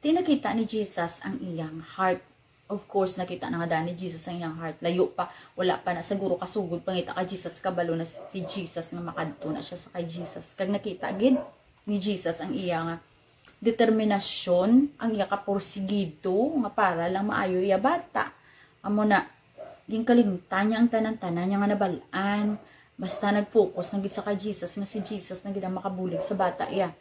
Ti nakita ni Jesus ang iyang heart. Of course, nakita na nga daan ni Jesus ang iyang heart. Layo pa, wala pa na siguro kasugod pangita kay Jesus, kabalo na si Jesus nga makadto na siya sa kay Jesus. Kag nakita gid ni Jesus ang iya nga determinasyon, ang iya kapursigido nga para lang maayo iya bata. Amo na, ginkalimtan niya ang tanan-tanan niya nga nabal-an. Basta nag-focus na gid sa kay Jesus, nga si Jesus na gid ang makabulig sa bata iya.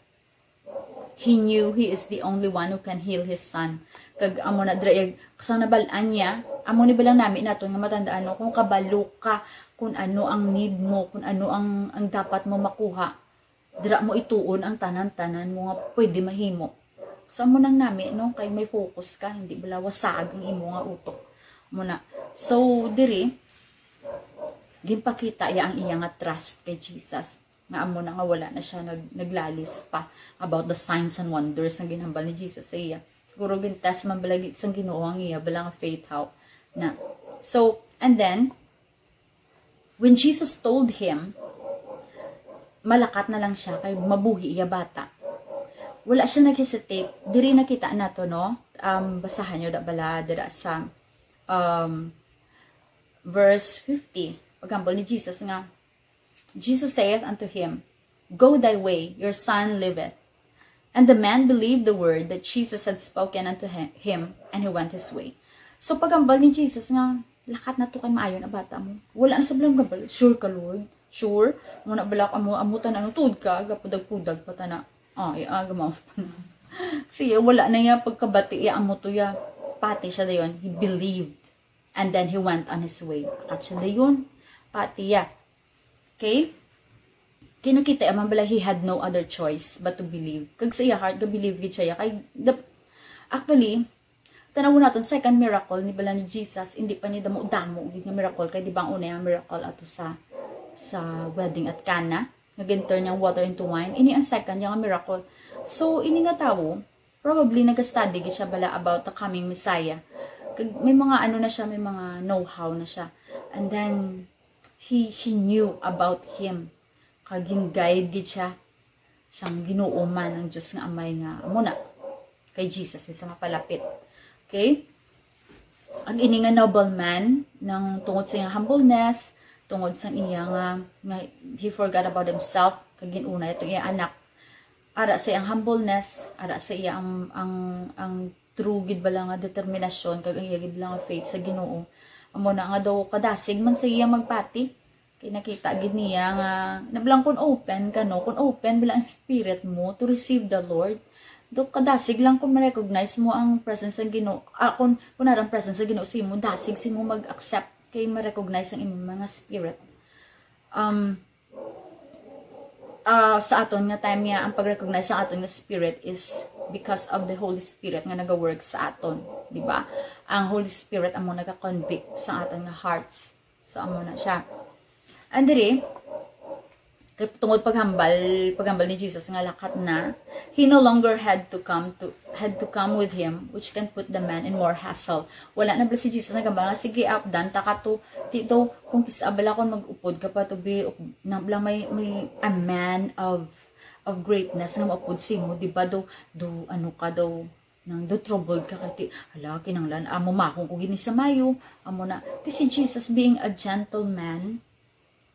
He knew he is the only one who can heal his son. Kag amo na dira, iyag-, sa nabal-an niya, amo ni bilang nami naton nga matandaan, no, kung kabalo ka kung ano ang need mo, kung ano ang, ang dapat mo makuha, dira mo ituon ang tanan-tanan mo nga pwede mahimo. Sa mo nang nami, no, kay may focus ka, hindi bala wasag ang imo nga utok. Muna. So, diri, ginpakita iya ang iya nga trust kay Jesus. Nga amo na nga wala na siya nag-, naglalis pa about the signs and wonders nga ginhambal ni Jesus sa iya. Siguro gin-test man bala gid sang Ginoo ang iya bala nga faith, how na. So, and then, when Jesus told him, malakat na lang siya kay mabuhi iya bata. Wala siya nag-hesitate. Diri nakita nato, no? Um, basahan niyo da bala dira sa, um, verse fifty. Paghambal ni Jesus nga, Jesus saith unto him, "Go thy way, your son liveth." And the man believed the word that Jesus had spoken unto hi-, him, and he went his way. So, paghambal ni Jesus nga, "Lakat na to kay maayo na bata mo." Wala na sa bilang gabal, "Sure ka, Lord? Sure?" Mo na balak amo, amo ta na, ano, tuod ka, gapudag-pudag pa ta na. Ay, aga mo. Siya, wala na iya pagkabati, iya amo to ya. Pati siya dayon, he believed. And then he went on his way. Akat siya dayon. Pati ya. Okay? Kinakita man bala, he had no other choice but to believe. Kag sa iya heart, ga-believe gid siya. Kay, the, actually, tanaw naton, second miracle ni bala ni Jesus, hindi pa ni damo-damo gid nga miracle. Kay di ba ang una nga miracle ato sa, sa wedding at Cana, nga gin-turn niyang water into wine. Ini ang second niya nga miracle. So, ini nga tawo, probably nag-study gid siya bala about the coming Messiah. Kag may mga ano na siya, may mga know-how na siya. And then, he, he knew about him. Kag gin-guide gid siya sang Ginoo man, ang Dios nga Amay nga amo na kay Jesus, isa nga palapit. Okay? Ang ini nga nobleman, nang tungod sa iyang humbleness, tungod sa iya nga, nga he forgot about himself, kag gin-una itong iya anak. Ara sa iyang humbleness, ara sa iya ang, ang, ang true gid bala nga determinasyon, kag ang iya gid bala nga faith sa Ginoo. Amo na nga daw kadasig man sa iya magpati. Kay nakita gid niya nga, nabilang kung open ka, no? Kung open bala ang spirit mo to receive the Lord, do kadasig lang kung ma-recognize mo ang presence ng Ginoo. Ah, kung, kung narang presence ng Ginoo sa imo, dasig sa imo mag-accept kay ma-recognize ang imong mga spirit. Um, ah, sa aton nga time niya, ang pag-recognize sa aton nga spirit is because of the Holy Spirit nga naga-work sa aton, di ba? Ang Holy Spirit amo naga-convict sa aton nga hearts. So, amo na siya. And diri, kay tungod paghambal, paghambal ni Jesus nga lakat na, he no longer had to come to, had to come with him, which can put the man in more hassle. Wala na bala si Jesus naghambal nga, "Sige, up, dan ta ka to." Ti daw, kung kis-a bala kung mag-upod ka pa to, be, up-, na bala may, may a man of, of greatness nga maupod sa imo, di ba, do, do, ano ka daw, nang do troubled ka kay ti, "Hala, kinahanglan, amo mahong ko gini sa mayo." Amo na, ti si Jesus being a gentleman,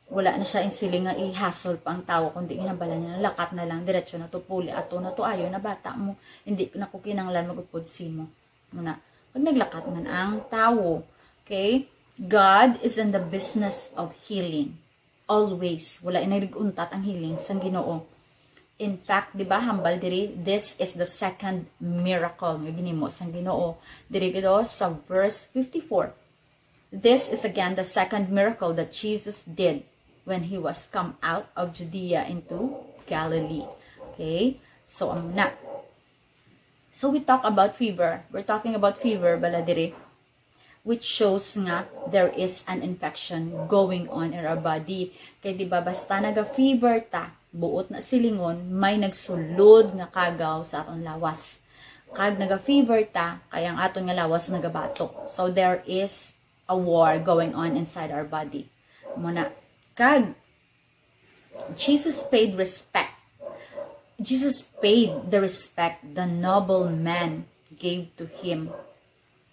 Wala na siya in siling nga i-hassle pa ang tawo, kundi ginhambalan niya, "Lakat na lang, diretso na to, puli ato na to, ayo na bata mo, hindi na ko kinahanglan mag-upod simo." Muna, pag naglakat man ang tawo, okay? God is in the business of healing. Always. Wala na nag-untat ang healing sang Ginoo. In fact, di ba, hambal diri, this is the second miracle nga ginimo sang Ginoo. Diri gid sa verse fifty-four. This is again the second miracle that Jesus did when he was come out of Judea into Galilee. Okay? So, amo na. So, we talk about fever. We're talking about fever, bala diri, which shows nga there is an infection going on in our body. Kay di ba, basta naga-fever ta, buot na silingon, may nagsulod nga kagaw sa aton lawas. Kag naga-fever ta, kay ang aton nga lawas nagabatok. So, there is a war going on inside our body. Muna, kag Jesus paid respect. Jesus paid the respect the noble man gave to him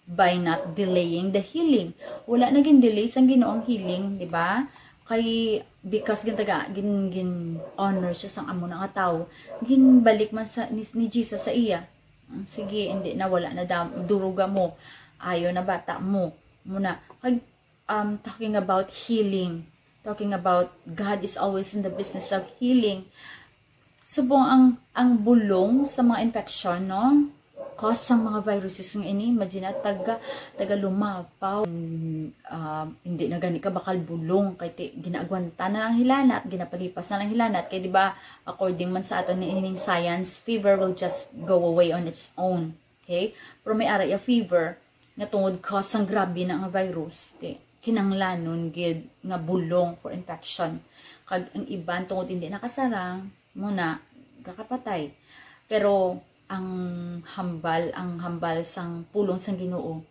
by not delaying the healing. Wala na gin-delay sang Ginoo ang healing, di ba? Kay, because gintaga, gin, gin-honor siya sang amo na nga tawo, ginbalik man sa, ni, ni Jesus sa iya. "Mm, sige, hindi na, wala na daw, duruga mo. Ayo na, bata mo." Muna, kag, um, talking about healing, talking about God is always in the business of healing. Subong ang, ang bulong sa mga infection, no? Cause sa mga viruses nga ini, imagine na, taga, taga lumapaw. Mm, ah, hindi na gani ka bakal bulong, kay ti, ginaagwanta na lang hilanat, ginapalipas na lang hilanat. Kay di ba, according man sa aton ni ining science, fever will just go away on its own. Okay? Pero may ara iya fever, nga tungod cause sang grabe na nga virus, ti, kinanglanon gid nga bulong for infection. Kag ang iban tungod hindi nakasarang, muna, kakapatay. Pero ang hambal, ang hambal sang pulong sang Ginoo,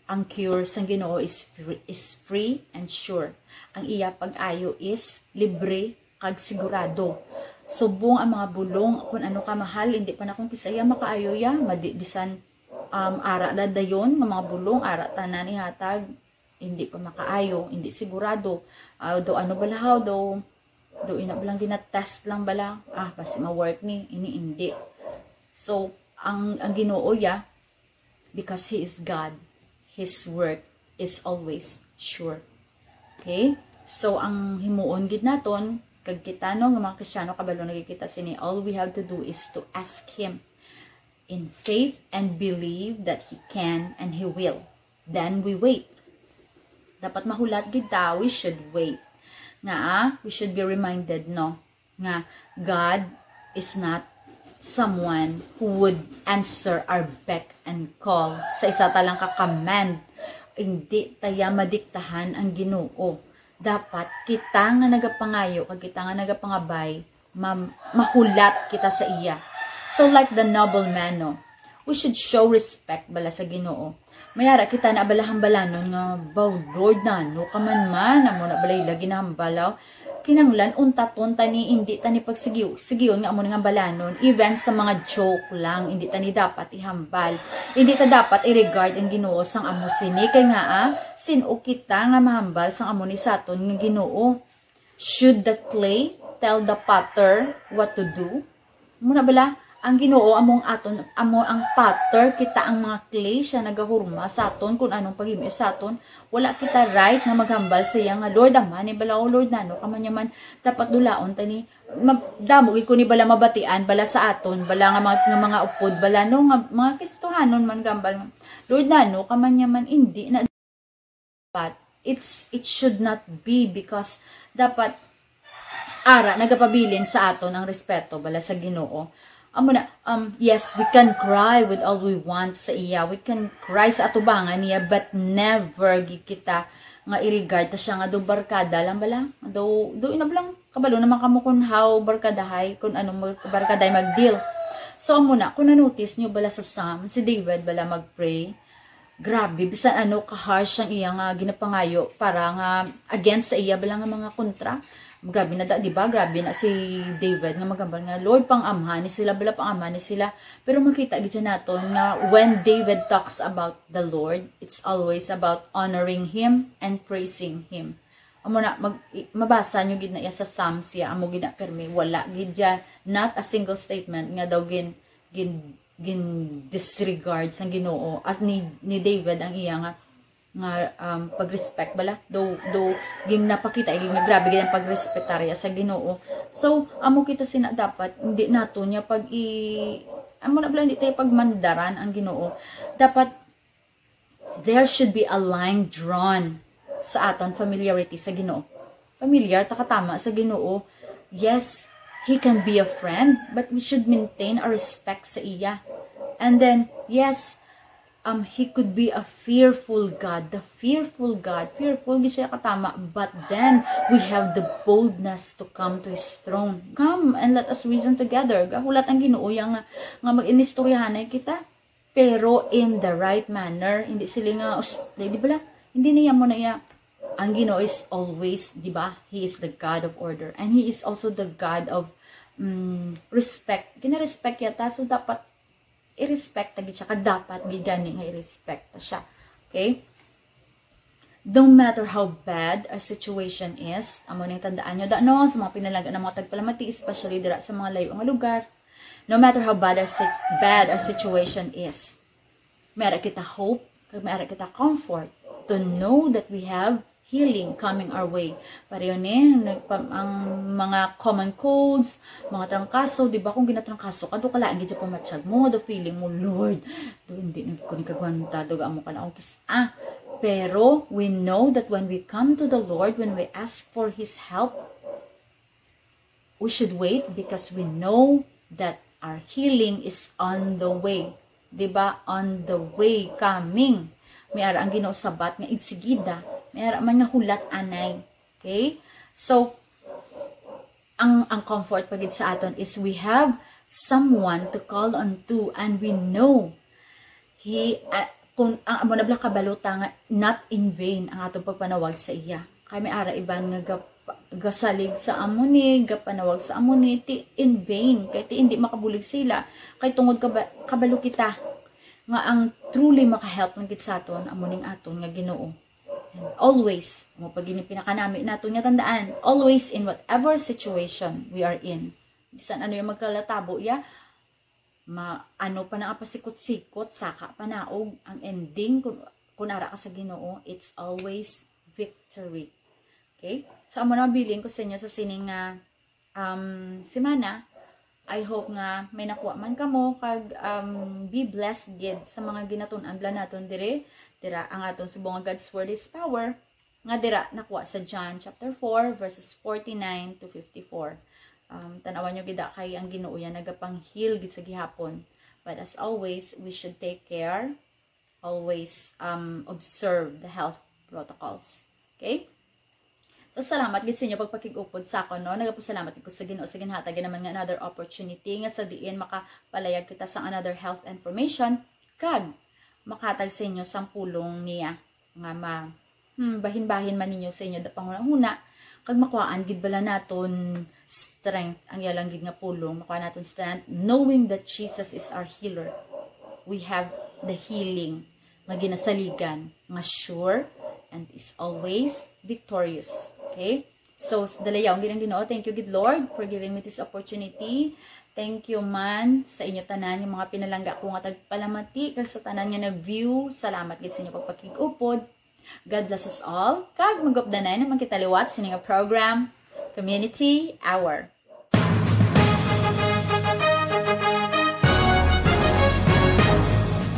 ang cure sang Ginoo is free, is free and sure. Ang iya pag-ayo is libre kag sigurado. Subong ang mga bulong, kun ano ka mahal, hindi pa na kung kisaya makaayo ya, madi, bisan, um, ara na dayon nga mga bulong, ara tanan ihatag, hindi pa makaayo, hindi sigurado. Ah, do ano bala haw, do, do ina balang ginatest lang bala, ah, basi ma-work ni, ini hindi. So, ang, ang Ginoo ya, because He is God, His work is always sure. Okay? So, ang himuon gid naton, kag kita, no, nga mga Kristiyano, kabalo na gid kita sini, all we have to do is to ask Him in faith and believe that He can and He will. Then we wait. Dapat mahulat gid ta, we should wait. Nga, ah, we should be reminded, no, nga God is not someone who would answer our beck and call. Sa isa ta lang ka command, hindi ta ya madiktahan ang Ginoo. Dapat kita nga nagapangayo kag kita nga nagapangabay, ma-, mahulat kita sa iya. So, like the noble man, no, we should show respect bala sa Ginoo. May ara kita na bala hambalanon nga, "Baw, Lord, nano ka man man?" Amo na bala ila ginahambal, aw. Kinahanglan untaton ta ni, hindi ta ni pagsigiw-, sigion nga amo ni nga hambalanon. Even sa mga joke lang, hindi ta ni dapat ihambal. Hindi ta dapat i-regard ang Ginoo sang amo sini. Kay nga, ah, sin-o kita nga mahambal sang amo ni sa aton nga Ginoo? Should the clay tell the potter what to do? Muna bala, ang Ginoo among aton, amo ang potter, kita ang mga clay, siya nagahurma sa aton kung anong paghimo sa aton. Wala kita right nga maghambal sa iya nga, "Lord, ama ni bala, o Lord, nano ka man niya man, dapat dulaon ta ni, mag-, damo gid ko ni bala mabatian bala sa aton, bala nga mga, nga mga upod bala, no, nga mga Kristohanon man gambal, 'Lord, nano ka man niya man,'" hindi na dapat. It's, it should not be, because dapat ara nagapabilin sa aton ang respeto bala sa Ginoo. Amo na, um, yes, we can cry with all we want sa iya. We can cry sa atubangan niya, but never gid kita nga i-regard ta siya nga do barkada lang bala. Do, do ina lang, kabalo naman kamo kung how barkadahay, kung anong mar-, barkadahay mag-deal. So, amo na, kung na-notice nyo bala sa Psalm, si David bala mag-pray, grabe, bisan ano ka-harsh ang iya nga ginapangayo para nga against sa iya bala nga mga kontra. Grabe na da, di ba? Grabe na si David nga magambal nga, "Lord, pang-amha ni sila bala, pang-amha ni sila." Pero makita gid siya naton nga when David talks about the Lord, it's always about honoring Him and praising Him. amo na, mag, i- mabasa nyo gid na iya sa Psalms, siya amo gid na permi, wala gid siya, not a single statement nga daw gin gin gin disregard sang Ginoo, as ni ni David ang iya nga nga um, pag-respect bala, though though gin napakita gid nga grabe gid ang pag-respetar iya sa Ginoo. So amo kita sina, dapat hindi nato niya pag i amo na bala, hindi tayo pagmandaran ang Ginoo. Dapat there should be a line drawn sa aton familiarity sa Ginoo. Familiar ta katama sa Ginoo. Yes, he can be a friend, but we should maintain a respect sa iya. And then, yes, um, he could be a fearful God, the fearful God, fearful gid siya katama, but then we have the boldness to come to his throne. Come and let us reason together. Gahulat ang Ginoo iya nga, nga mag-inistoryahanay kita, pero in the right manner. Hindi sila nga, us- di, di bala? Hindi niya mo na iya. Ang Ginoo is always, di ba? He is the God of order. And He is also the God of mm, respect. Gina-respect yata. So, dapat i-respect ta gid siya. Kag dapat gid gani nga i-respect ta siya. Okay? No matter how bad our situation is, amo ning tandaan nyo, da, no, sa mga pinalangga ng mga tagpalamati, especially dira sa mga layo nga lugar, no matter how bad our, sit- bad our situation is, may ara kita hope, kag may ara kita comfort to know that we have healing coming our way. Pareho ni nagpa- ang mga common colds, mga trangkaso, di ba, kung ginatrangkaso ka, do ka lain gid sa pamatyag mo, the feeling mo, Lord, do hindi na ko ni kagwanta, do amo ka na akong kis-, ah. Pero we know that when we come to the Lord, when we ask for His help, we should wait because we know that our healing is on the way. Di ba? On the way, coming. May ara ang Ginoo sabat nga igsigida. May ara man nga hulat anay. Okay? So, ang ang comfort pa gid sa aton is we have someone to call on to, and we know he uh, kung ang amo na bala kabalota nga not in vain ang atong pagpanawag sa iya. Kay may ara iban nga gap, gasalig sa amo ni, gapanawag sa amo ni, ti in vain, kay ti hindi makabulig sila. Kay tungod kaba, kabalo kita nga ang truly makahelp lang gid sa aton amo ning aton nga Ginoo. And always, mo pag ini pinakanami nato nga tandaan, always in whatever situation we are in. Bisan ano yung magkalatabo ya, ma ano pa na ang pasikot-sikot, saka panaog, ang ending, kung, kung ara ka sa Ginoo, it's always victory. Okay? So, amo na mabilin ko sa inyo sa sining nga um, semana. I hope nga may nakuha man kamo kag um, be blessed gid sa mga ginatun-an bala naton diri. Dira ang aton subong nga God's Word is Power, nga dira nakuha sa John chapter four, verses forty-nine to fifty-four. Um, tan-awan nyo gid kay ang Ginoo yan nagapang-heal gid sa gihapon. But as always, we should take care, always um, observe the health protocols. Okay? So, salamat gid sa inyo pagpakig-upod sa akon, no? Nagapasalamat ko sa Ginoo sa ginhatag naman nga another opportunity nga sa diin makapalayag kita sa another health information kag makahatag sa inyo sang pulong niya nga ma hmm, bahin-bahin man ninyo sa inyo da panghunahuna kag makuhaan gid bala naton strength ang iya lang gid nga pulong, makuha naton strength knowing that Jesus is our healer. We have the healing nga ginasaligan nga sure and is always victorious. Okay? So, dalayawon gid ang Ginoo. Thank you gid, Lord, for giving me this opportunity. Thank you man sa inyo tanan, yung mga pinalangga ko nga tagpalamati, kag sa tanan nga nag-view. Salamat gid sa inyo pagpakig-upod. God bless us all. Kag magupdanay naman kita liwat sa ining program, Community Hour.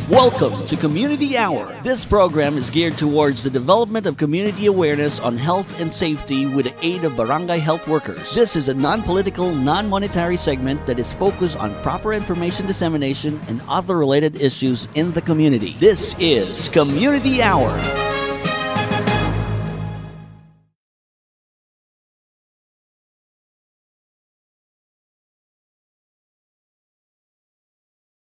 Welcome to Community Hour. This program is geared towards the development of community awareness on health and safety with the aid of barangay health workers. This is a non-political, non-monetary segment that is focused on proper information dissemination and other related issues in the community. This is Community Hour.